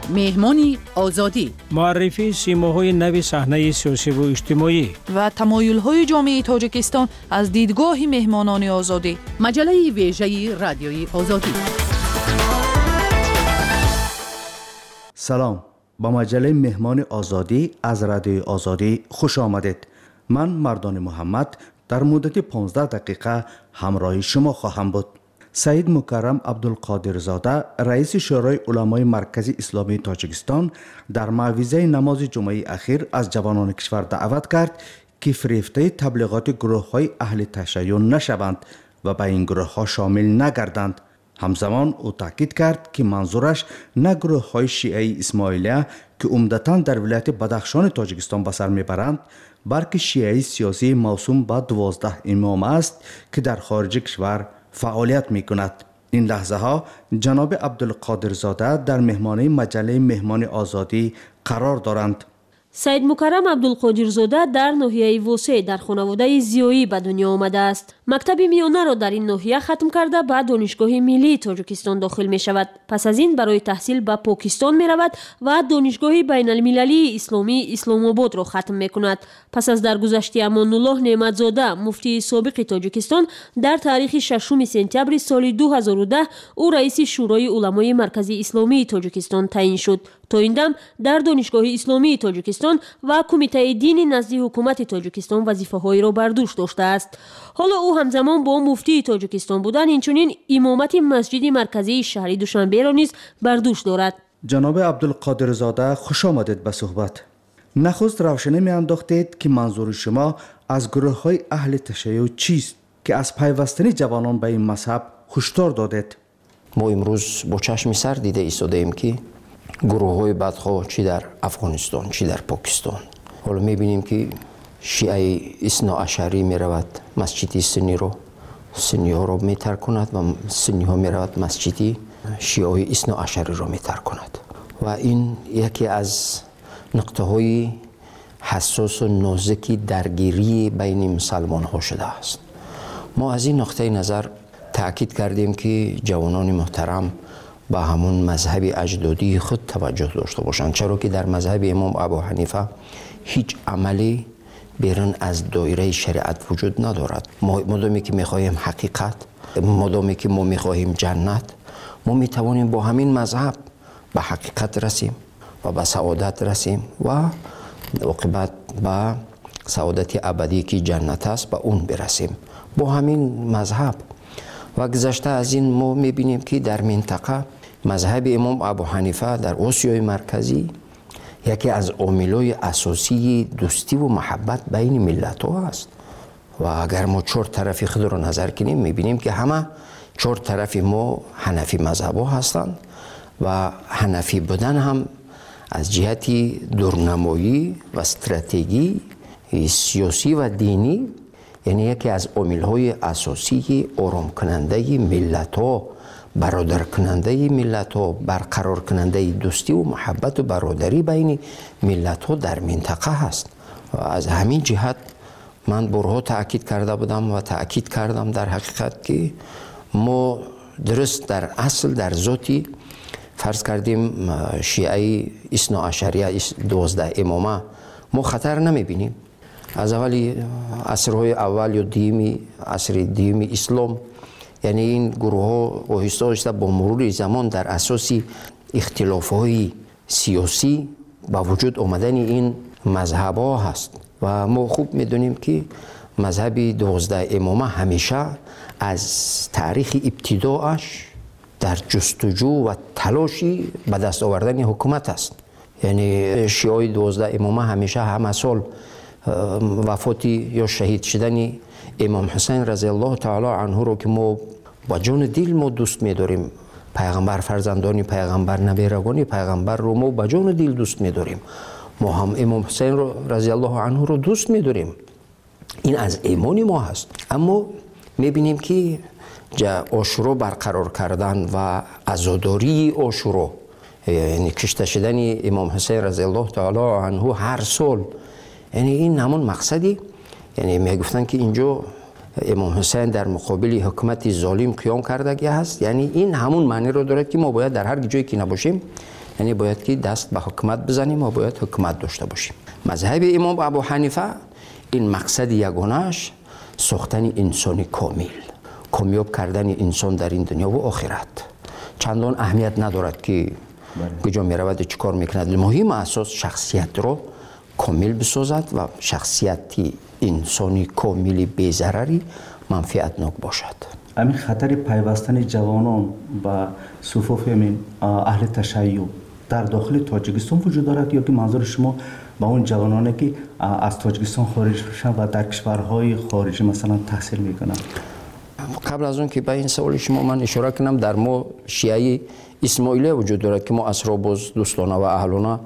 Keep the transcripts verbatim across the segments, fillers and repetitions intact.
Меҳмони Озодӣ. Муаррифии симоҳои нави саҳнаи сиёсиву иҷтимоӣ ва тамоюлҳои ҷомеаи Тоҷикистон аз дидгоҳи меҳмонони Озодӣ. Маҷаллаи вежаи Радиои Озодӣ. Салом, ба маҷаллаи Меҳмони Озодӣ аз Радиои Озодӣ хуш омадед. Ман Мардони Муҳаммад дар муддати понздаҳ дақиқа ҳамроҳи шумо хоҳам буд. Саид Мукаррам Абдулқодирзода, раиси Шӯрои уламои Маркази Исломии Тоҷикистон, дар мавъизаи намози ҷумъаи ахир аз ҷавонони кишвар даъват кард, ки фирефтаи таблиғоти гурӯҳҳои аҳли ташайюъ нашаванд ва ба ин гурӯҳҳо шомил нагарданд. Ҳамзамон ӯ таъкид кард, ки манзураш на гурӯҳҳои шиаи Исмоилия, ки умдатан дар вилояти Бадахшони Тоҷикистон ба сар мебаранд, балки шиаи сиёсии мавсум ба дувоздаҳ имом аст, ки дар хориҷи кишвар фаъолият мекунад. Ин лаҳзаҳо ҷаноби Абдулқодирзода дар меҳмонии маҷаллаи Меҳмони Озодӣ қарор доранд. Саид Мукаррам Абдулқодирзода дар ноҳияи Восе дар хонаводаи зиёӣ ба дунё омадааст. Мактаби миёнаро дар ин ноҳия хатм карда ба Донишгоҳи миллии Тоҷикистон дохил мешавад. Пас аз ин барои таҳсил ба Покистон меравад ва Донишгоҳи байналмилалии исломии Исломободро хатм мекунад. Пас аз даргузашти Амонуллоҳ Неъматзода, муфтии собиқи Тоҷикистон, дар таърихи шашуми сентябри соли ду ҳазору даҳ ӯ раиси Шӯрои уламои Маркази Исломии Тоҷикистон таъин шуд. То ин дам дар Донишгоҳи Исломии Тоҷикистон ва Кумитаи дини назди ҳукумати Тоҷикистон вазифаҳоеро бар дӯш доштааст. Ҳоло ӯ ҳамзамон бо муфтии Тоҷикистон будан инчунин имомати масҷиди марказии шаҳри Душанберо низ бар дӯш дорад. Ҷаноби Абдулқодирзода, хуш омадед ба суҳбат. Нахуст равшанӣ меандохтед, ки манзури шумо аз гурӯҳҳои аҳли ташайюъ чист, ки аз пайвастани ҷавонон ба ин мазҳаб ҳушдор додед? Мо имрӯз бо чашми сар дида истодаем, ки гурӯҳҳои бадхоҳ чӣ дар Афғонистон, чӣ дар Покистон. Ҳоло мебинем, ки шиаи исноашарӣ меравад масҷиди сунниро, сунниҳоро метаркунад ва сунниҳо меравад масҷиди шиаҳои исноашариро метаркунад. Ва ин яке аз нуқтаҳои ҳассосу нозики даргирии байни мусалмонҳо шудааст. Мо аз ин нуқтаи назар таъкид кардем, ки ҷавонони муҳтарам ба ҳамун мазҳаби аҷдодии худ таваҷҷӯҳ дошта бошанд, чаро ки дар мазҳаби имом Абу Ҳанифа ҳеҷ амале берун аз доираи шариат вуҷуд надорад. Модоме ки мехоҳем ҳақиқат, модоме ки мо мехоҳем ҷаннат, мо метавонем бо ҳамин мазҳаб ба ҳақиқат расем ва ба саодат расем ва оқибат ба саодати абадӣ, ки ҷаннат аст, ба он бирасем бо ҳамин мазҳаб. Ва гузашта аз ин мо мебинем, ки дар минтақа мазҳаби имом Абу Ҳанифа дар Осиёи Марказӣ яке аз омилҳои асосии дӯстиву маҳаббат байни миллатҳо аст. Ва агар мо чор тарафи худро назар кунем, мебинем, ки ҳама чор тарафи мо ҳанафӣ мазҳабҳо ҳастанд ва ҳанафӣ будан ҳам аз ҷиҳати дурнамоӣ ва стратегии сиёсӣ ва динӣ, яъне яке аз омилҳои асосии оромкунандаи миллатҳо, бародаркунандаи миллатҳо, барқароркунандаи дӯстиву муҳаббату бародарӣ байни миллатҳо дар минтақа ҳаст. Ва аз ҳамин ҷиҳат ман борҳо таъкид карда будам ва таъкид кардам дар ҳақиқат, ки мо дуруст дар асл дар зоти фарз кардем шиаи исноашария дувоздаҳ имома мо хатар намебинем. Аз аввали асрҳои аввал ё дуюми асри дуюми ислом, яъне ин гурӯҳҳо оҳиста оҳиста бо мурури замон дар асоси ихтилофҳои сиёсӣ ба вуҷуд омадани ин мазҳабҳо ҳаст. Ва мо хуб медонем, ки мазҳаби дувоздаҳ имома ҳамеша аз таърихи ибтидоаш дар ҷустуҷӯ ва талоши ба даст овардани ҳукумат аст. Яъне шиаҳои дувоздаҳ имома ҳамеша ҳама сол вафоти ё шаҳид шудани имом Ҳусайн разияллоҳу таоло анҳуро, ки мо ба ҷону дил мо дӯст медорем, пайғамбар, фарзандони пайғамбар, наберагони пайғамбарро мо ба ҷону дил дӯст медорем. Мо ҳам имом Ҳусайнро разияллоҳу анҳуро дӯст медорем. Ин аз имони мо ҳаст. Аммо мебинем, ки Ошуро барқарор кардан ва азодории Ошуро, яъне кушта шудани имом Ҳусайн разияллоҳу таоло анҳу ҳар сол, яъне ин ҳамон мақсади, яъне мегуфтанд, ки инҷо имом Ҳусайн дар муқобили ҳукумати золим қиём кардагӣ ҳаст. Яъне ин ҳамон маъниро дорад, ки мо бояд дар ҳар ҷое ки набошем, Яъне бояд ки даст ба ҳукумат бизанем ва бояд ҳукумат дошта бошем. Мазҳаби имом Абу Ҳанифа ин мақсади ягонааш сохтани инсони комил, комёб кардани инсон дар ин дунё ва охират. Чандон аҳамият надорад ки куҷо меравад ва чӣ кор мекунад. Муҳим асос шахсиятро комил бисозад ва шахсияти инсони комили безарари манфиатнок бошад. Ҳамин хатари пайвастани ҷавонон ба суфуфи ҳамин аҳли ташайюъ дар дохили Тоҷикистон вуҷуд дорад ё ки манзури шумо ба он ҷавононе ки аз Тоҷикистон хориҷ мешаванд ва дар кишварҳои хориҷӣ масалан таҳсил мекунанд? Қабл аз он ки ба ин саволи шумо ман ишора кунам, дар мо шиаи исмоилия вуҷуд дорад ки мо асро боз дӯстона ва аҳлона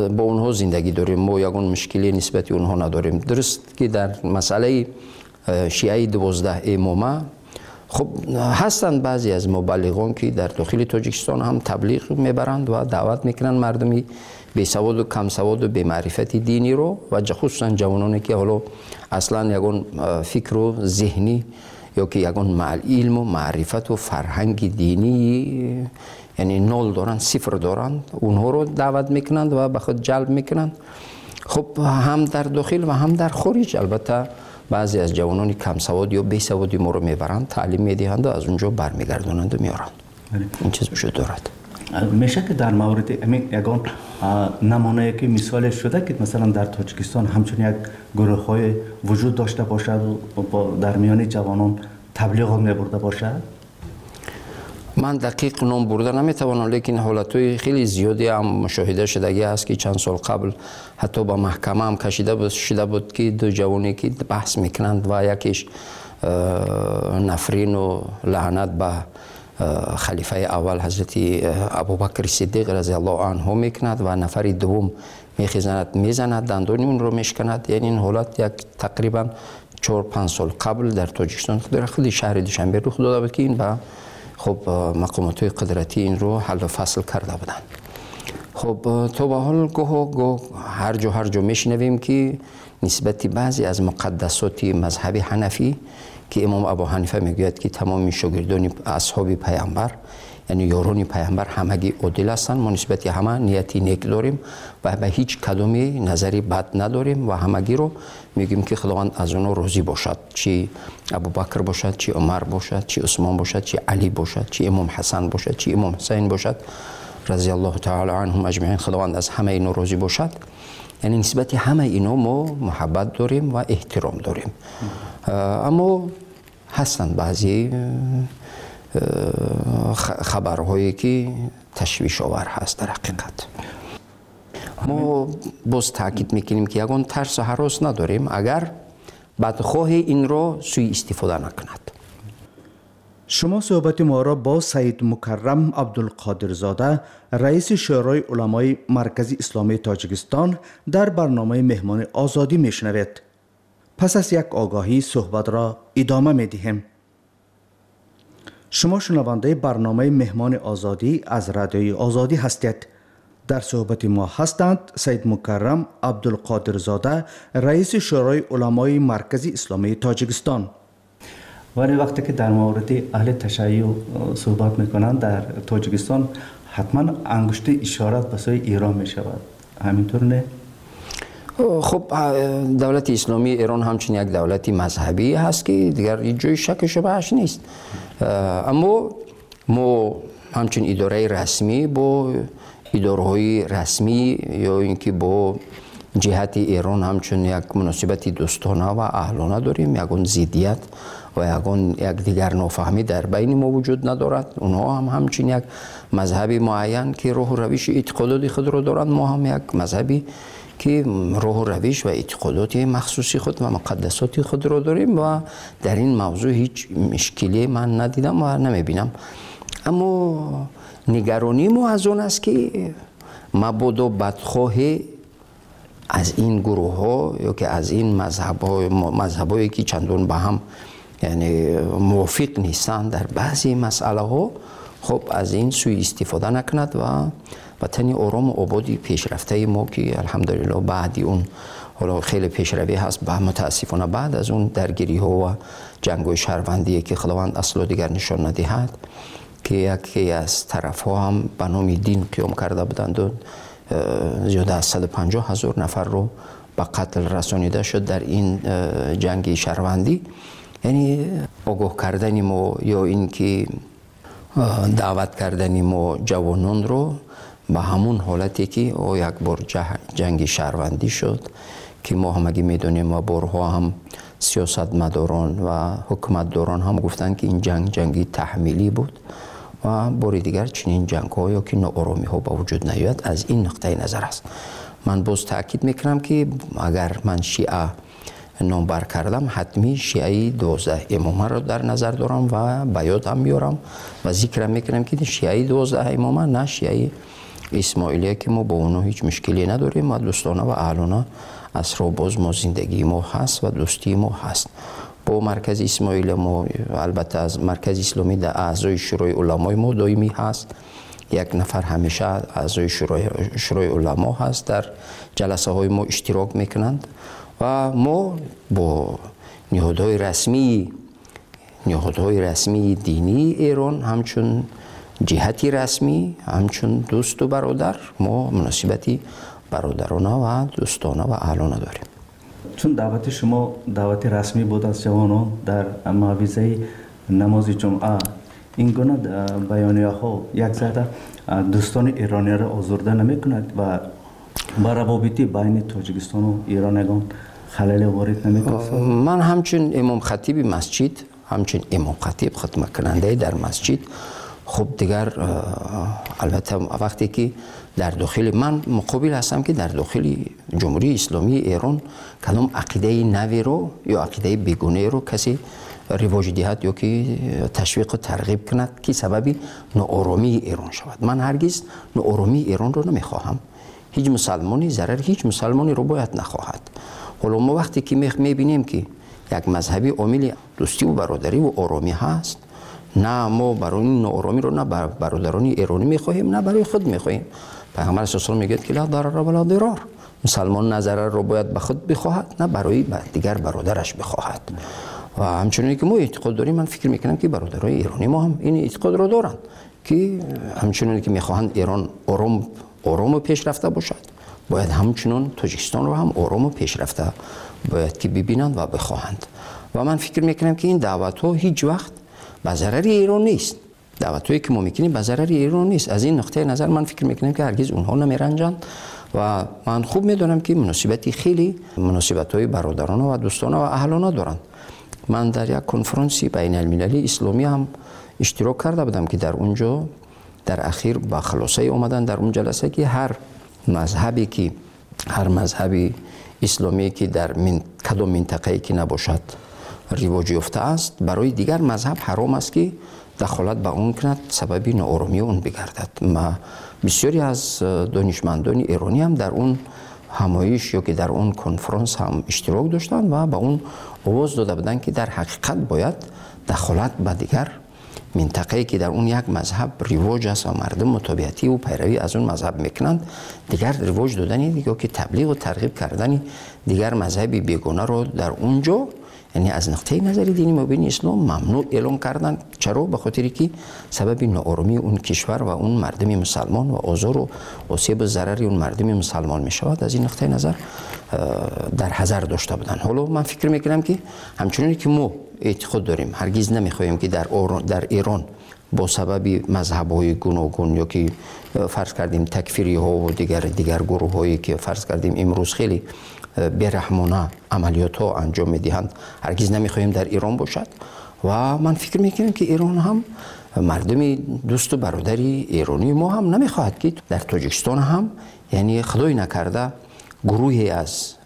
бо онҳо зиндагӣ дорем. Мо ягон мушкиле нисбати онҳо надорем. Дуруст ки дар масъалаи шиаи дувоздаҳ имома хуб ҳастанд баъзе аз мубаллиғон ки дар дохили Тоҷикистон ҳам таблиғ мебаранд ва даъват мекунанд мардуми бесаводу камсаводу бемаърифати диниро ва хусусан ҷавононе ки ҳоло аслан ягон фикру зеҳнӣ ё ки ягон илму маърифату фарҳанги динӣ яъне нол доранд, сифр доранд, онҳоро даъват мекунанд ва ба худ ҷалб мекунанд. Хуб ҳам дар дохил ва ҳам дар хориҷ албатта баъзе аз ҷавонони камсавод ё бесаводи моро мебаранд, таълим медиҳанд ва аз он ҷо бармегардонанд ва меоранд. Ин чиз вуҷуд дорад. Мешавад ки дар мавриди ҳамин ягон намунае ки мисоле шуда ки масалан дар Тоҷикистон ҳамчун як гурӯҳҳое вуҷуд дошта бошад ва дар миёни ҷавонон таблиғот мебурда бошад? Ман дақиқ ном бурда наметавонам, лекин ҳолатҳои хеле зиёде ҳам мушоҳида шудагӣ аст ки чанд сол қабл ҳатто ба маҳкама ҳам кашида шуда буд ки ду ҷавоне ки баҳс мекунанд ва якеш нафрину лаънат ба халифаи аввал ҳазрати Абубакри Сиддиқ разиаллоҳу анҳу мекунад ва нафари дуввум мехезанад, мезанад, дандони онро мешканад. Яъне ин ҳолат як тақрибан чор панҷ сол қабл дар Тоҷикистон худи шаҳри Душанбе рух дода буд ки ин ба хуб мақомотҳои қудратӣ инро ҳаллу фасл карда буданд. Хуб то ба ҳол гоҳо гоҳ ҳар ҷо ҳар ҷо мешунавем ки нисбати баъзе аз муқаддасоти мазҳаби ҳанафӣ ки имом Абу Ҳанифа мегӯяд ки тамоми шогирдони асҳоби паямбар яъне ёрони паямбар ҳамагӣ одил ҳастанд, мо нисбати ҳама нияти нек дорем ва ба ҳеҷ кадоме назари бад надорем ва ҳамагиро мегӯем ки Худованд аз онҳо розӣ бошад, чи Абубакр бошад, чи Умар бошад, чи Усмон бошад, чи Алӣ бошад, чи имом Ҳасан бошад, чи имом Ҳусайн бошад разиаллоҳу таъала анҳум аҷмаин, Худованд аз ҳамаи инҳо розӣ бошад. Яъне нисбати ҳамаи инҳо мо муҳаббат дорем ва эҳтиром дорем. Аммо ҳастанд баъзе хабарҳое ки ташвишовар ҳаст дар ҳақиқат. Мо боз таъкид мекунем ки ягон тарсу ҳарос надорем агар бадхоҳе инро суиистифода накунад. Шумо суҳбати моро бо Саид Мукаррам Абдулқодирзода, раиси Шӯрои уламои Маркази Исломии Тоҷикистон дар барномаи Меҳмони Озодӣ мешунавед. Пас аз як огаҳӣ суҳбатро идома медиҳем. Шумо шунавандаи барномаи Меҳмони Озодӣ аз Радиои Озодӣ ҳастед. Дар суҳбати мо ҳастанд Саид Мукаррам Абдулқодирзода, раиси Шӯрои уламои Маркази Исломии Тоҷикистон. Вале вақте ки дар мавриди аҳли ташайюъ суҳбат мекунанд дар Тоҷикистон ҳатман ангушти ишорат ба сӯи Эрон мешавад. Ҳаминтур не? Хуб, давлати исломии Эрон ҳамчун як давлати мазҳабӣ ҳаст ки дигар ҳеҷ ҷои шаку шубҳааш нест. Аммо мо ҳамчун идораи расмӣ бо идораҳои расмӣ ё ин ки бо ҷиҳати Эрон ҳамчун як муносибати дӯстона ва аҳлона дорем. Ягон зиддият ва ягон якдигар нофаҳмӣ дар байни мо вуҷуд надорад. Онҳо ҳам ҳамчун як мазҳаби муайян ки роҳу равиши эътиқодоти худро доранд, мо ҳам як мазҳаби ки роҳу равиш ва эътиқодоти махсуси худ ва муқаддасоти худро дорем ва дар ин мавзӯъ ҳеҷ мушкиле ман надидам ва намебинам. Аммо нигаронии мо аз он аст ки мабодо бадхоҳе аз ин гурӯҳҳо ё ки аз ин мазҳабҳое ки чандон ба ҳам яъне мувофиқ нестанд дар баъзе масъалаҳо, хуб аз ин суиистифода накунад ва ватани орому ободи пешрафтаи мо ки алҳамдулиллоҳ баъди он ҳоло хеле пешравӣ ҳаст, ба мутаассифона баъд аз он даргириҳо ва ҷангҳои шаҳрвандие ки Худованд асло дигар нишон надиҳад, ки яке аз тарафҳо ҳам ба номи дин қиём карда буданд ва зиёда аз саду панҷоҳ ҳазор нафарро ба қатл расонида шуд дар ин ҷанги шаҳрвандӣ. Яъне огоҳ кардани мо ё ин ки даъват кардани мо ҷавононро ба ҳамун ҳолате ки ӯ як бор ҷанги шаҳрвандӣ шуд, ки мо ҳамагӣ медонем ва борҳо ҳам сиёсатмадорон ва ҳукуматдорон ҳам гуфтанд, ки ин ҷанг ҷанги таҳмилӣ буд ва бори дигар чунин ҷангҳо ё ки ноороሚҳо ба вуҷуд наояд. Аз ин нуқтаи назар аст. Ман боз таъкид мекунам, ки агар ман шиа номбар кардам, ҳатмӣ шиаи дувоздаҳ имомаро дар назар дорам ва ба ёд ҳам меорам ва зикрам мекунам, ки шиаи дувоздаҳ имома, на шиаи исмоилия, ки мо бо онҳо ҳеҷ мушкиле надорем ва дӯстона ва аҳлона асро боз мо зиндагии мо ҳаст ва дӯстии мо ҳаст. Бо маркази исмоилия мо, албатта аз маркази исломӣ дар аъзои шӯрои уламои мо доимӣ ҳаст, як нафар ҳамеша аъзои шӯрои уламо ҳаст, дар ҷаласаҳои мо иштирок мекунанд ва мо бо ниҳодҳои расмӣ ниҳодҳои расмии динии Эрон ҳамчун ҷиҳати расмӣ, ҳамчун дӯсту бародар мо муносибати бародарона ва дӯстона ва аҳлона дорем. Чун даъвати шумо даъвати расмӣ буд аз ҷавонон дар мавизаи намози ҷумъа, ин гуна баёнияҳо як зарра дӯстони эрониро озурда намекунад ва ба равобити байни Тоҷикистону Эрон ягон халале ворид намекунад? Ман ҳамчун имомхатиби масҷид, ҳамчун имомхатиб, хидматкунандаи дар масҷид, хуб дигар албатта вақте ки дар дохили ман муқобил ҳастам, ки дар дохили Ҷумҳурии Исломии Эрон кадом ақидаи наверо ё ақидаи бегонаеро касе ривоҷ диҳад ё ки ташвиқу тарғиб кунад, ки сабаби нооромии Эрон шавад. Ман ҳаргиз нооромии Эронро намехоҳам. Ҳеҷ мусалмони зарари ҳеҷ мусалмонеро бояд нахоҳад. Ҳоло мо вақте ки мебинем, ки як мазҳаби омили дӯстиву бародариву оромӣ ҳаст, на мо барои нооромиро на бародарони эронӣ мехоҳем, на барои худ мехоҳем. Пайғамбар саллаллоҳу алайҳи васаллам мегӯяд, ки ла дарара ва ла дирор. Мусалмон на зарарро бояд ба худ бихоҳад, на барои дигар бародараш бихоҳад. Ва ҳамчуноне ки мо эътиқод дорем, ман фикр мекунам, ки бародарои эронӣ мо ҳам ин эътиқодро доранд, ки ҳамчуноне ки мехоҳанд Эрон ором орому пешрафта бошад, бояд ҳамчунон Тоҷикистонро ҳам орому пешрафта бояд ки бибинанд ва бихоҳанд. Ва ман фикр мекунам, ки ин даъватҳо ҳеҷ вақт ба зарари Эрон нест. Даъватҳое ки мо мекунем ба зарари Эрон нест. Аз ин нуқтаи назар ман фикр мекунам, ки ҳаргиз онҳо намеранҷанд ва ман хуб медонам, ки муносибати хеле муносибатҳои бародарона ва дӯстона ва аҳлона доранд. Ман дар як конфронси байналмилалии исломӣ ҳам иштирок карда будам, ки дар он ҷо дар ахир ба хулосае омаданд дар он ҷаласа, ки ҳар мазҳабе ки ҳар мазҳаби исломие ки дар кадом минтақае ки набошад ривоҷ ёфта аст, барои дигар мазҳаб ҳаром аст, ки дахолат ба он кунад, сабаби нооромии он бигардад. Ма бисёре аз донишмандони эронӣ ҳам дар он ҳамоиш ё ки дар он конфронс ҳам иштирок доштанд ва ба он овоз дода буданд, ки дар ҳақиқат бояд дахолат ба дигар минтақае ки дар он як мазҳаб ривоҷ аст ва мардум мутобиативу пайравӣ аз он мазҳаб мекунанд, дигар ривоҷ додани ё ки таблиғу тарғиб кардани дигар мазҳаби бегонаро дар он ҷо, яъне аз нуқтаи назари дини мубини ислом мамнӯъ эълон карданд. Чаро? Ба хотире ки сабаби нооромии он кишвар ва он мардуми мусалмон ва озору осебу зарари он мардуми мусалмон мешавад. Аз ин нуқтаи назар дар ҳазар дошта буданд. Ҳоло ман фикр мекунам, ки ҳамчуноне ки мо эътиқод дорем, ҳаргиз намехоҳем, ки дар Эрон бо сабаби мазҳабҳои гуногун ё ки фарз кардем такфириҳо ва дигар дигар гурӯҳҳое ки фарз кардем имрӯз хеле бераҳмона амалиётҳо анҷом медиҳанд, ҳаргиз намехоҳем дар Эрон бошад. Ва ман фикр мекунам, ки Эрон ҳам мардуми дӯсту бародари эронии мо ҳам намехоҳад, ки дар Тоҷикистон ҳам, яъне худой накарда, гурӯҳе аз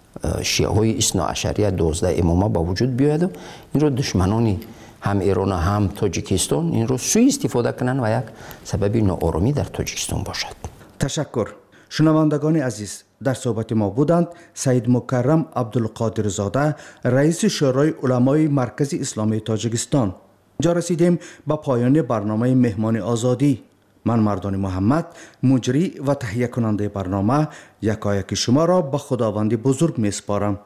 шиаҳои исноашария дувоздаҳ имома ба вуҷуд биёяду инро душманони ҳам Эрон ҳам Тоҷикистон инро суистифода кунанд ва як сабаби нооромӣ дар Тоҷикистон бошад. Ташаккур. Шунавандагони азиз, дар суҳбати мо буданд Саид Мукаррам Абдулқодирзода, раиси Шӯрои уламои Маркази Исломии Тоҷикистон. Инҷо расидем ба поёни барномаи Меҳмони Озодӣ. Ман Мардони Муҳаммад, муҷрӣ ва таҳиякунандаи барнома, якояки шуморо ба Худованди бузург месупорам.